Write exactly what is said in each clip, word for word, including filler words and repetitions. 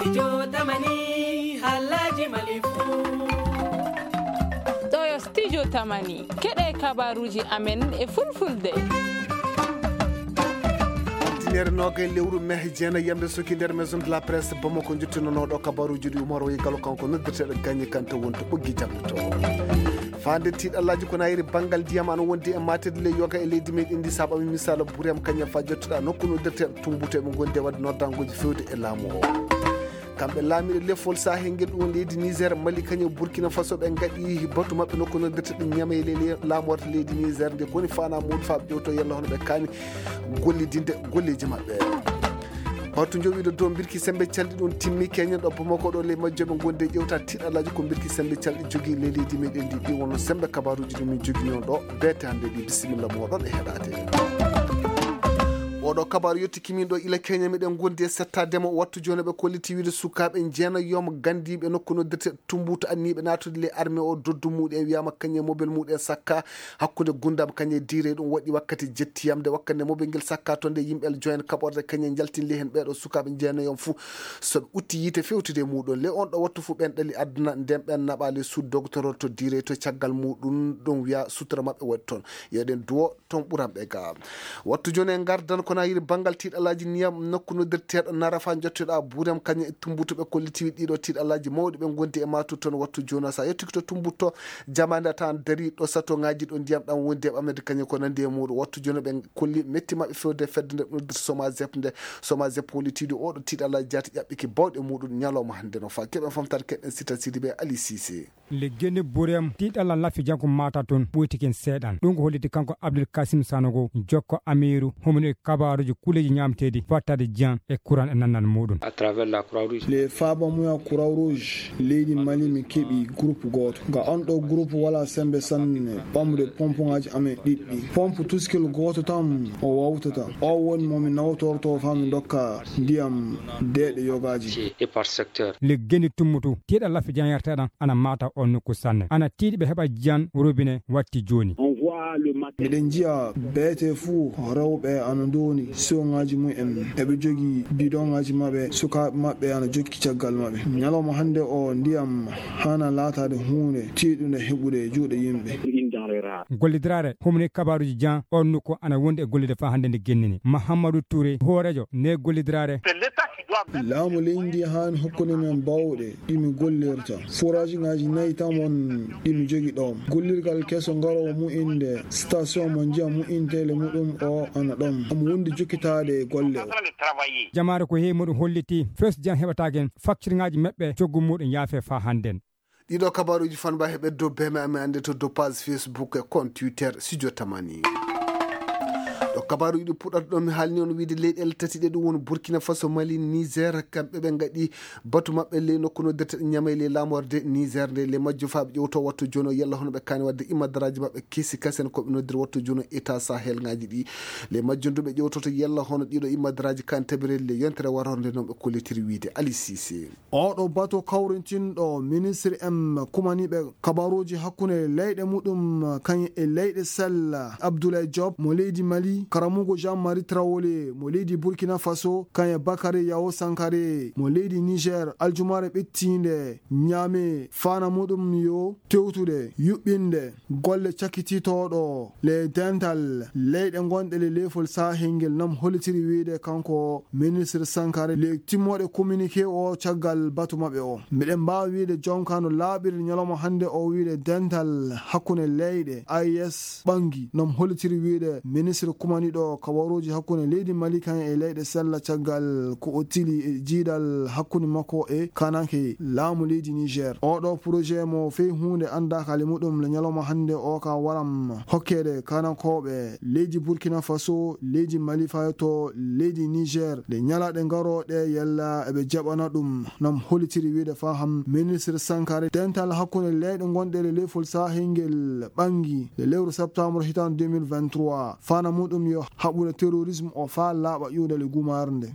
Studio Tamani, halaji malifu. Ɗo yo Studio Tamani, keɗe kabaruji amen e fulfulde. Altiniere noga e lewru mai, jeena yamde soki nder maison de la presse Bamako, jottinonooɗo kabaruji ɗi Umar Wayi Galo, kanko noddirteɗo Gagné Kanté wonto ɓoggi jamɗoto. Faande tiiɗallaaji ko nayiri banngal ndiyam ana wondi e maatede ley yoga e leydi meɗen ndi, sababu misala buriyam kañum fa jottuɗa nokku noddirteɗo Tumbutu, eɓe ngondi e wadde noddanguji fewde e laamu o. Kamɓe laamiiɓe lefol sahel ngel ɗum leydi Niger, Mali, kañum Burkina Faso, ɓe ngaɗi batu maɓɓe nokku noddirteɗo Niamey ley ley laamorde leydi Niger nde koni fana muuɗum fa ɓe ƴewto yalla hono ɓe kaani gollidinde golleji maɓɓe. Batu jowiɗo dow mbirki sembe calɗi ɗum timmi, keñen ɗo Bamako ɗo ley majjoɓe gondi e ƴewta tiiɗallaaji ko mbirki sembe calɗi jogii ley leydi meɗen ndi. Ɗi wonno sembe kabaruji ɗi min joginoo ɗo beete hannde ɗi. Bisimilla moɗon e heɗade. Oɗo kabaru yetti kimin ɗo ila Kenya, meɗen gondi e settademo. Wattu jooni ɓe kolliti wiide sukaaɓe jeenayomo gandiiɓe nokku noddirte Tumbutu anniiɓe naatude ley armée o, doddu muɗum e wiyama kañum e mobel muɗum e sakka hakkunde gundam kañum e diire. Ɗum waɗi wakkati jettiyamde wakkati nde mobel ngel sakka toon nde yimɓe joen kaɓorde kañum e jaltinde heen ɓeeɗo sukaaɓe jeenayomo fuu. So ɓe utti yiite fewtude e muɗum, le on ɗo wattu fuu ɓen ɗali aduna nden ɓen naɓa le sud doctorol to diire to caggal muɗum ɗum wiya sutura maɓɓe waɗi toon. Yo ɗen duwo toon ɓuran ɓe ga. Wattu jooni en ngardan ko na yiri banngal tiiɗalaaji niyam nokku noddirteeɗo Narafa jotteɗo a Buurem kañum e Tumbutu ɓe kolliti ɗiɗo tiiɗalaaji mawɗi ɓe ngondi e maatu toon. Wattu jooni sa yettiki to Tumbutu jamaande a tawan dari ɗo sato ngaji ɗo ndiyam ɗam wondi e ɓamede kañum ko nandi e muɗum. Wattu jooni ɓe kolli metti maɓɓe fewde fedde nde noddirta Somazep nde. Somazep hollitiiɗo oɗo tiiɗalaaji jaati ƴaɓɓiki bawɗe muɗum ñalawma hannde no fa keɓen famtare keɗen sita sidi ɓe Ali Sise. Le geni burem tiɗalla lafi janko mata tun ɓoytiken seeɗan. Ɗum ko holliti kanko Abdul Kasim Sanogo, jokko Amiru, homino e kabaruji kuleji ñamteɗi, fattade jiyan e kuran e nannan muɗum. Le faba muya Croix Rouge leydi Mali mi keɓi groupe goto. Nga on ɗo groupe wala sembe sanne ɓamde pompe ngaji amen ɗiɗɗi. Pompe tuskil goto tan o wawtata. O woni mo mi nawtorto fa mi dokka ndiyam deeɗe yogaji. Le geni tummutu tiɗa lafi janyarteɗan ana mata on nokku sanne. Ana tiiɗi ɓe heɓa jiyan robine watti joni. Miɗen njiya beete fuu rewɓe ana ndoni siwongaji mumen. Eɓe jogi bidongaji maɓɓe. Sukaaɓe maɓɓe ana jokki caggal maɓɓe. Ñalawma hannde o ndiyam hana laatade huunde tiiɗunde heɓude e juuɗe yimɓe. Gollidirare homni kabaruji jan on nokku ana wondi e gollide fa hannde nde gennini. Mahamadou Touré, hoorejo nde gollidirare. Laamu leydi ndi haani hokkude men bawɗe ɗi mi gollirta. Forage ngaji nayi tan won ɗi mi jogi ɗoon. Gollirgal keso ngarowo mu'inde station mo ndiyam mu'intele muɗum o ana ɗoon. Omo wondi jokkitaade e golle o. Jamaare ko heewi muɗum holliti fes jan heɓataken faccirngaaji maɓɓe coggu muɗum yaafe fa hannden. Ɗiɗo kabaruji fanba heɓe dow beme amen annde to dow page Facebook e compte Twitter Studio Tamani. Ɗo kabaruji ɗi puɗɗata ɗo mi haalni on wiide leyɗele tati ɗe ɗum woni Burkina Faso, Mali, Niger, kamɓe ɓe ngaɗi batu maɓɓe ley nokku no derte Ñamey ley laamorde Niger nde. Ley majjum fa ɓe ƴewto wattu jooni o yalla hono ɓe kaani wadde imadaraaji maɓɓe kesi kasen ko ɓe noddiri wattu jooni o état Sahel ngaji ɗi. Ley majjum du ɓe ƴewtoto yalla hono ɗiɗo imadaraaji kan tabireli ley yontere warorde noon ɓe kollitiri wiide Ali Cissé. Oɗo bato kawrintinɗo ministre en kumaniɓe kabaruji hakkunde leyɗe muɗum kañum e leyɗe sella Abdoulaye Diop mo leydi Mali, karamugo Jean Marie Traoré mo leydi Burkina Faso, kañum e Bakary Yao Sankare mo leydi Niger, aljumare ɓettinde Ñaame fana muɗum yo tewtude yuɓɓinde golle cakkititooɗo le dental leyɗe gonɗe le lefol sahel ngel nam hollitiri wiide kanko ministre Sankare le timmoɗe communiqué o caggal batu maɓɓe o. Miɗen mbaawi wiide jonka no laaɓiri ñalawma hannde o wiide dental hakkunde leyɗe A E S ɓangi nam hollitiri wiide ministre kumaniɗo kabaruji hakkunde leydi Mali kan e leyɗe sella caggal ko o tili e jiidal hakkunde makko e kananke laamu leydi Niger. Oɗo projet mo fey huunde anndaka le muɗum le ñalawma hannde o ka waram hokkede kanankooɓe leydi Burkina Faso, leydi Mali fayoto leydi Niger le ñalaɗe ngaroɗe yalla eɓe jaɓana ɗum. Nam hollitiri wiide faham ministre Sankare dental hakkunde leyɗe gonɗe le lefol sahel ngel ɓangi le lewru septembre hitande deux mille vingt-trois fana muɗum yo haɓude terrorisme o fa laaɓa ƴuwde le gumarde.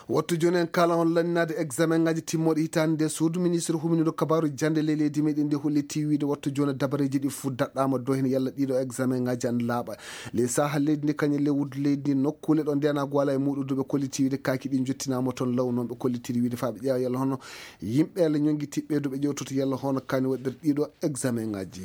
Wattu jooni en kaala on lanninaade examen ngaji timmooɗi hitaande nde suudu ministre huminiiɗo kabaaru jannde ley leydi meɗen ndi holliti wiide wattu jooni dabareeji ɗi fuu daɗɗaama dow heen yalla ɗiɗo examen ngaji an laaɓa. Ley saha leydi ndi kañum ley wuddu leydi ndi nokkuule ɗo ndeenaagu wala e muɗude ɓe kolliti wiide kaaki ɗi jottinaama toon law noon ɓe kollitiri wiide faa ɓe ƴeewa yalla hono yimɓe Allah ñonngitiɓɓe ɗo ɓe ƴewtoto yalla hono kaani waɗir ɗiɗo examen ngaji.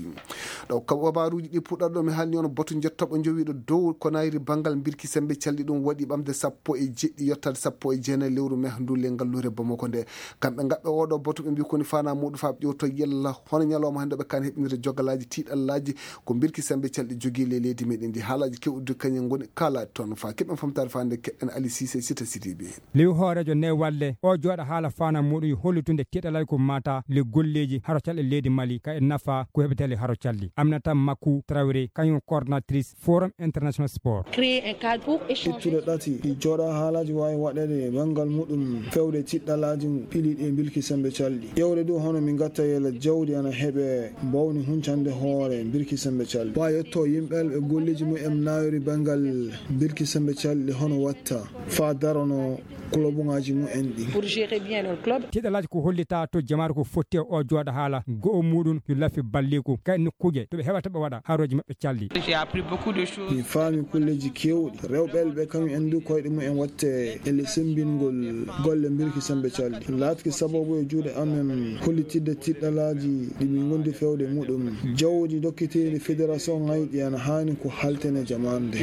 Ɗo kabaruuji ɗi puɗɗata ɗo mi haalni on batu njettoɓo jowiiɗo dow ko nayri banngal mbirki sembe calɗi ɗum waɗi ɓamde sappo e jeɗɗi yottaade sappo e jeenayi lewru me ndu le ngalluure Bamako nde. Kamɓe ngaɓɓe oɗo batu ɓe mbi koni fana muɗum faa ɓe ƴewto yalla hono ñalawma hannde ɓe kan heɓinirde jogalaaji tiiɗallaaji ko mbirki sembe calɗi jogii le leydi meɗen ndi haalaaji kewɗi kañum ngoni kaala toon faa keɓen famtaade faa nde keɗen Ali Sise Sita Sidibe. Liw hooreejo ne walle o jooɗa haala fana muɗum hollitunde tiiɗallaaji ko mata le golleeji haro calɗi leydi Mali ka e nafa ko heɓetee le haro calɗi. Aminata Makou Traoré kañum coordinatrice Forum International Sport. Créer un cadre pour échanger. Ittude ɗati ɗi jooɗa haalaaji waawi waɗeede e banngal muɗum fewde tiɗɗalaaji piliiɗi e mbilki sembe calɗi. Ƴeewde ɗum hono min ngatta yela jawdi ana heɓe mbawni huncande hoore mbilki sembe calɗi. Wa yetto yimɓe ɓe golleeji mumen naawiri banngal mbilki sembe calɗi hono watta faa darono kolobuŋaaji mumen ɗi. Pour gérer bien leur club. Tiɗɗalaaji ko hollita to jamaare ko fotti e o jooɗa haala go'o muɗum yo lafi balliku kay nokkuuje to ɓe heɓata ɓe waɗa harooji maɓɓe calɗi. J'ai appris beaucoup de choses. Mi faami kulleeji keewɗi. Rewɓe ɓe kañum en du koyɗe mumen watte e le sembingol golle mbirki sembe calɗi. Laatki sababu e juuɗe amen hollitidde tiɗɗalaaji ɗi min ngondi fewde muɗum. Jawdi dokkiteeri fédération ŋayɗi ana haani ko haltene jamaande.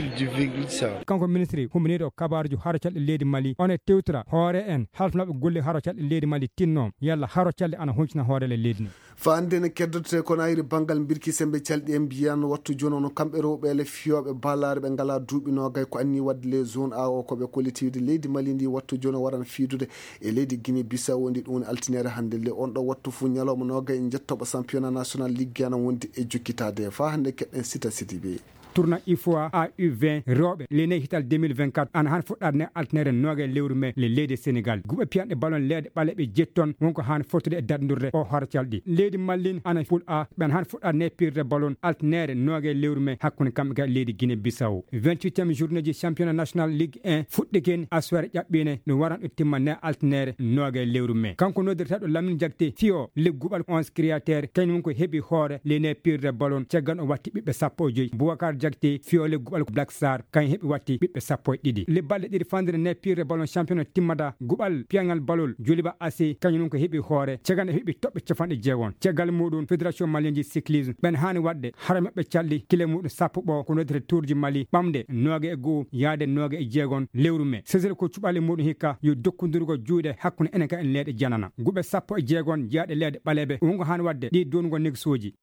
Kanko ministre huminiiɗo kabaaruji haro calɗi leydi Mali, on e tewtira hoore en halfnooɓe golle haro calɗi leydi Mali tinno yalla haro calɗi ana huncina hoore le leydi ndi. Faa hannde ne keddote ko nayri banngal mbirki sembe calɗi en mbiyan wattu jooni ono kamɓe rewɓe le fiyooɓe balaare ɓe ngalaa duuɓi noogay ko anni waɗde les zones A O ko ɓe kollitiiwde leydi Mali ndi wattu jooni waran fiidude e leydi Guinée Bissau ndi ɗum woni altiniere hannde le on ɗo wattu fuu ñalawma noogay e njettoɓo championnat national ligue ana wondi e jokkitaade faa hannde keɗen Sita Sidibe. Tournoi ifoa A U vingt rewɓe le nayi hital deux mille vingt-quatre ana han fuɗɗaade ne altiniere noogay lewru mai le leydi Sénégal guɓe piyanɗe ballon leeɗe ɓaleeɓe jetti toon wonko han fottude e daɗndurde o haro calɗi leydi Mali ana poule A ɓen han fuɗɗaade ne pirde ballon altiniere noogay lewru mai hakkunde kamɓe ga leydi Guinée Bissau. Vingt-huitième journée ji championnat national ligue un fuɗɗikin aswere ƴaɓɓiine ɗum waran ɗo timma ne altiniere noogay lewru mai kanko noddirteeɗo Lamine Diakité fiyo le guɓal onze créateur kañum ko heɓi hoore le ne pirde ballon caggal o watti ɓiɓɓe sappo e joyi. Boubacar Diakité fiyo le guɓal ko Black Star kañum heɓi watti ɓiɓɓe sappo e ɗiɗi. Le balɗe ɗiɗi fandire ne pirde ballon championnat timmata guɓal piyangal ballon Joliba A C kañum ko heɓi hoore caggal o heɓi toɓɓe capanɗe jeegon caggal muɗum fédération malienne ji cyclisme ɓen haani waɗde hara maɓɓe calɗi kile muɗum sappo ɓo ko noddete tourji Mali ɓamde nooga e go'o yaade nooga e jeegon lewru mai sesere ko cuɓali muɗum hikka yo dokkodurgo juuɗe hakkunde enen ka en leeɗe janana guɓe sappo e jeegon jeyaaɗe leeɗe ɓaleeɓe wongo haani waɗde ɗi donugol negsooji.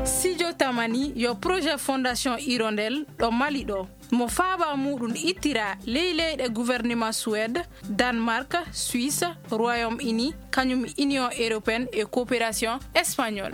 Sijo Tamani yo projet Fondation Hirondelle ɗo Mali ɗo mo faaba muɗum ittira ley leyɗe gouvernement Suède, Danemark, Suisse, Royaume-Uni, kañum Union européenne e coopération espagnole.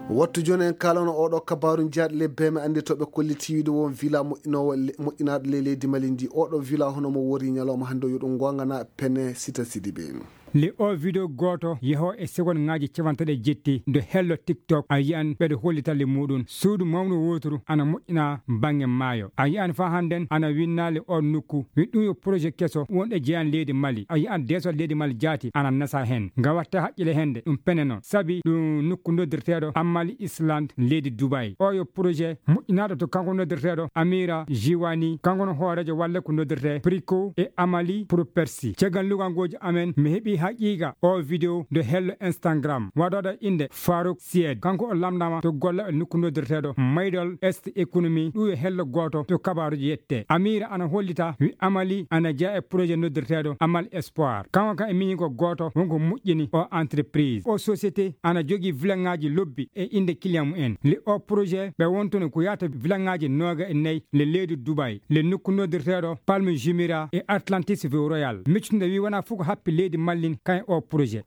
Wattu jooni en kaalano oɗo kabaru jaaɗi le beme andi to ɓe kolliti wiide won villa moƴƴinowo le- moƴƴinaɗo le leydi Mali ndi oɗo villa hono mo wori ñalawma hannde yo ɗum gongana pene Sita Sidibe. Le o video gooto yeho e segon ngaji capantaɗe jetti do hello TikTok a yi'an ɓeɗo hollita le muɗum suudu mawnu woturu ana moƴƴina bange maayo a yi'an fa hannden ana winna le o nukku wi ɗum yo projet keso wonɗe jeyan leydi Mali a yi'an desol leydi Mali jaati ana nasa hen nga watta haqqile hende ɗum peneno sabi ɗum nukku noddirteɗo Amali Island leydi Dubai o yo projet moƴƴinaɗo to kanko noddirteɗo Amira Jiwani kanko no hoorejo walle ko noddirte Prico e Amali pour Persi caggal lugangoji amen mi heɓi haqiqa o video do hello Instagram waɗoɗo inde Farouk Sied kanko o lamdama to golla e nokku noddirteɗo Maydol Est Economy ɗum e hello goto to kabaruji yette Amira ana hollita wi Amali ana jeya e projet noddirteɗo Amal Espoir kanko kan e miñi ko goto wonko moƴƴini o entreprise o société ana jogui vilangaji lobbi e inde client mumen le o projet ɓe wontuno ko yata vilangaji noga e nayyi le leydi Dubai le nokku noddirteɗo Palme Jumeirah e Atlantis View Royal miccude wi wona fof ko happi leydi Mali ndi kayen o projet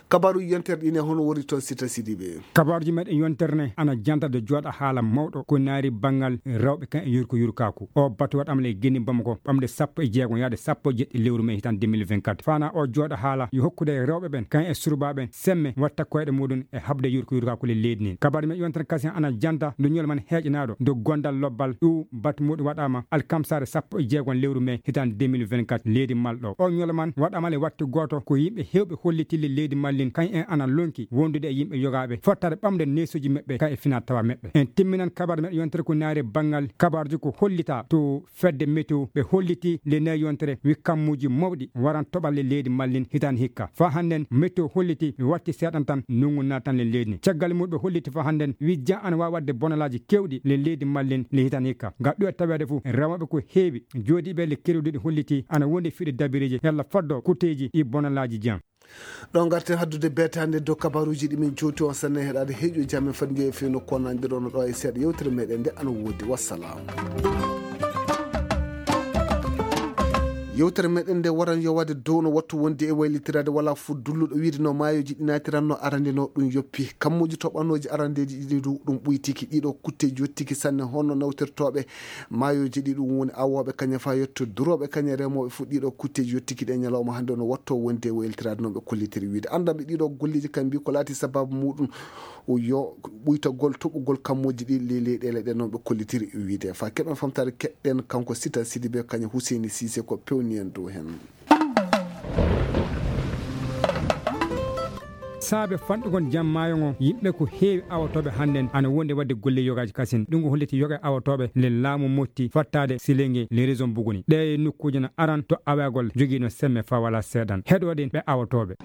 Kabaaruuji yontere ɗi ne, hono woni toon Sita Sidibe? Kabaaruuji meɗen yontere ne ana janta de jooɗa haala mawɗo ko naari banngal rewɓe kan e yurko yurkaaku. O batu waɗama le geni Bamako ɓamde sappo e jeego yaade sappo e jeɗɗi lewru mai hitan deux mille vingt-quatre. Fana o jooɗa haala yo hokkude rewɓe ɓen kan e surbaaɓe ɓen semme watta koyɗe muɗum e haɓde yurko yurkaaku le leydi nin. Kabaaruuji meɗen yontere kasi ana janta ndu ñol man heeƴanaaɗo ndu gondal lobbal ɗu batu muɗum waɗama alkamsaare sappo e jeego lewru mai hitan deux mille vingt-quatre leydi malɗo. O ñol man waɗama le watti gooto ko yimɓe hewɓe holliti le leydi mallin kan en ana lonki wondude e yimɓe yogaaɓe fottare ɓamde neesuuji maɓɓe kan e fina tawa maɓɓe. En timminan kabaaruuji meɗen yontere ko naari banngal kabaaruuji ko hollita to fedde météo ɓe holliti le nayi yontere wi kammuuji mawɗi waran toɓal le leydi mallin hitan hikka. Fa hannden météo holliti ɓe watti seeɗan tan nungu naatan le leydi ni. Caggal muɗum ɓe holliti fa hannden wi jan ana waawi waɗde bonalaaji kewɗi le leydi mallin le hitan hikka. Ngam ɗum e taweede fof, remooɓe ko heewi jooɗiiɓe le kerwuɗi ɗi holliti ana wondi fiɗe dabiriiji yalla foddo kutteeji ɗi bonalaaji jan. Ɗo ngarten haddude beetaande dow kabaaruuji ɗi min jowti on sanne heɗaade heeƴo jam en fadi njeeya fewno konanɗe ɗo no ɗo e seeɗa yewtere meɗen nde ana woodi. Wassalam. Yewtere meɗen nde waran yo waɗde dow no wattu wonde e waylitiraade wala fof dulluɗo wiide no maayoji ɗi naatiranno arande no ɗum yoppi. Kammuuji toɓanooji arandeeji ɗiɗi du ɗum ɓuytiki. Ɗiɗo kutteeji yottiki sanne hono nawtirtooɓe maayoji ɗi ɗum woni awooɓe kañe fa yetto durooɓe kañe remooɓe fof. Ɗiɗo kutteeji yottiki ɗe ñalawma hannde no watto wonde e waylitiraade no ɓe kollitiri wiide. Anndanɓe ɗiɗo golleeji kam mbi ko laati sababu muɗum yo ɓuytagol toɓugol kammuuji ɗi ley leyɗeele ɗe noon ɓe kollitiri wiide. Fa keɓen famtaare keɗɗen kanko Sita Sidibe kañe Huseyni Siise ko pewni en dow heen. Saabe fanɗugol jam maayo ngo, yimɓe ko heewi awotooɓe hannden ana wondi waɗde golle yogaaji kasin. Ɗum ko holliti yoga awotooɓe le laamu motti fattaade Silenge le région Buguni. Ɗe nokkuuje no aran to awagol jogiino semme fa wala seeɗan. Heɗoɗen ɓe awotooɓe.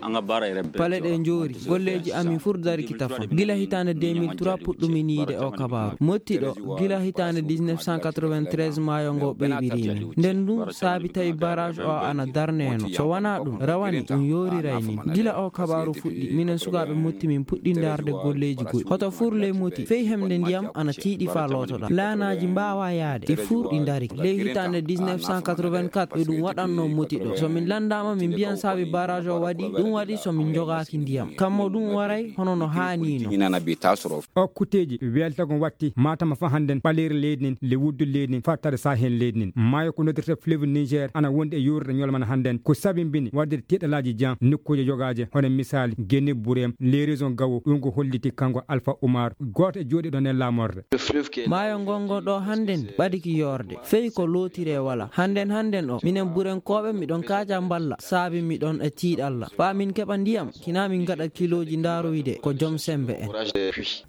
Pale ɗe njoori, golleeji amin fur dari ki tafa. Gila hitaande deux mille trois puɗɗumin yiide o kabaaru. Motti ɗo, gila hitaande dix-neuf cent quatre-vingt-treize maayo ngo ɓeybirimin. Nden ɗum saabi tawi barrage o ana darneeno. So wanaa ɗum, rawane ɗum yooriray min. Gila o kabaaru fuɗɗi, minen sukaaɓe motti min puɗɗi ndaarde golleeji goɗɗi. Hoto fur ley motti, fey hemde ndiyam ana tiiɗi fa lootoɗaa. Laanaaji mbaawa yaade, ɗi fur ɗi ndari. Ley hitaande dix-neuf cent quatre-vingt-quatre, ɓe ɗum waɗanno motti ɗo. So min lanndaama, min mbiyan saabi barrage o waɗi, ɗum waɗi so min njogaaki ndiyam. Kammo ɗum waray hono no haaniino. O kutteeji weltago watti Matam fa hannden ɓaleeri leydi nin, le wuddu leydi nin, fattade Sahel leydi nin. Maayo ko noddirta fleuve Niger ana wondi e yorude ñolmana hannden. Ko sabimbini waɗde tiiɗalaaji jam nokkuuje yogaaje, hono misaali Geni Burem, le région Gawo, ɗum ko holliti kanko Alpha Oumar, gooto e jooɗiiɗo nden laamorde. Maayo ngon ngon ɗo hannden ɓadiki yoorde. Fey ko lootire wala. Hannden hannden o, minen Burenkooɓe miɗon kaaja mballa, saabi miɗon e tiiɗalla. Faa min keɓa ndiyam, kina min ngaɗa kilooji ndaaroyde ko jom sembe en.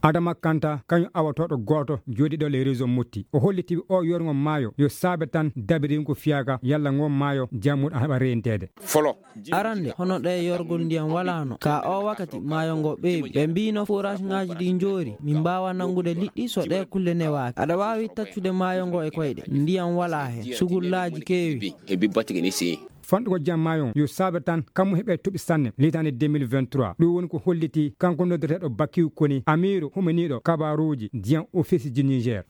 Adama Kanta, kañum awotooɗo gooto jooɗiiɗo le région Motti. O holliti o yorgo maayo yo saabe tan dabiriigu fiyaaga yalla ngon maayo jam muɗum ana heɓa reenteede. Arande, hono ɗe yorgol ndiyam walaano. Ka o wakati maayo ngo ɓeeɓi. Ɓe mbiino forage ngaaji ɗi njoori. Min mbaawa nanngude liɗɗi so ɗe kulle newaaki. Aɗa waawi taccude maayo ngo e koyɗe. Ndiyam walaa heen. Sugullaaji keewi. Fanɗugo jam maayo yo saabe tan kammu heɓe toɓi sanne. Litaande deux mille vingt-trois. Ɗum woni ko holliti kanko noddeteeɗo Bakiw Koni, amiiru humaniiɗo kabaaruuji ndiyam Office du Niger.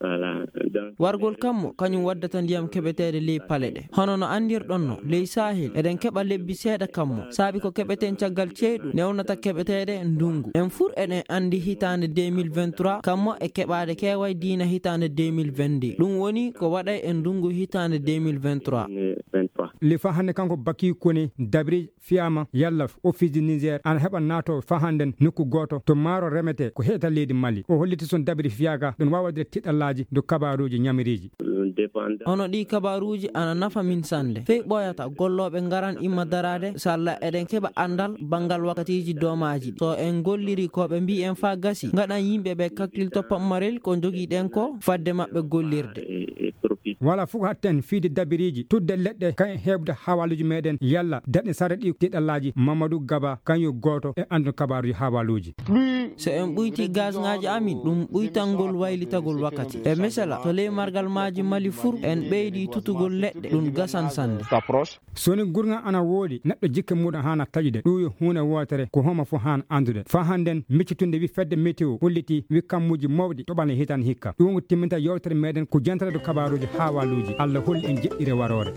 Wargol kammu kañum waddata ndiyam keɓeteeɗe ley pale ɗe. Hono no anndirɗon no, ley Sahel, eɗen keɓa lebbi seeɗa kammu. Saabi ko keɓeten caggal ceyɗu newnata keɓeteeɗe ndungu. En fur eɗen anndi hitaande deux mille vingt-trois, kammu e keɓaade keeway diina hitaande deux mille vingt-deux. Ɗum woni ko waɗay e ndungu hitaande deux mille vingt-trois. Le fa hannde kanko Bakiw Koni dabri fiyaama yalla Office du Niger ana heɓa naato fa hannden nokku gooto to maaro remetee ko heɗata leydi Mali. O holliti son dabiri fiyaaga ɗum waawa waɗde tiɗallaaji dow kabaaruuji ñamiriiji. Hono ɗii kabaaruuji ana nafa min sannde. Fey ɓooyata gollooɓe ngaran imma daraade, salla eɗen keɓa anndal banngal wakkatiiji doomaaji ɗi. So en golliri ko ɓe mbii en faa gasi, ngaɗan yimɓe ɓe kaklil to pammarel ko njogiɗen ko fadde maɓɓe gollirde. Wala fof hatten fiide dabiriiji, tudde leɗɗe, kañum heɓde hawaaluuji meɗen, yalla daɗe sara ɗi tiɗallaaji. Mamadou Gaba, kañum gooto e annduɗo kabaaruuji hawaaluuji. So en ɓuyti gasŋaaji amin, ɗum ɓuytangol waylitagol wakkati. E misala, to ley margal maaji Mali fur, en ɓeydi tutugol leɗɗe, ɗum gasan sannde. So ni gurŋal ana woodi, neɗɗo jikke muɗum haana taƴude. Ɗum yo huunde wootere, ko homo fof haana anndude. Fa hannden, miccitunde wi fedde météo holliti wi kammuuji mawɗi toɓane hitan hikka. Ɗum ko timminta yewtere meɗen ko jentata dow kabaaruuji hawaaluuji. Allah holli en jeɗɗire waroore.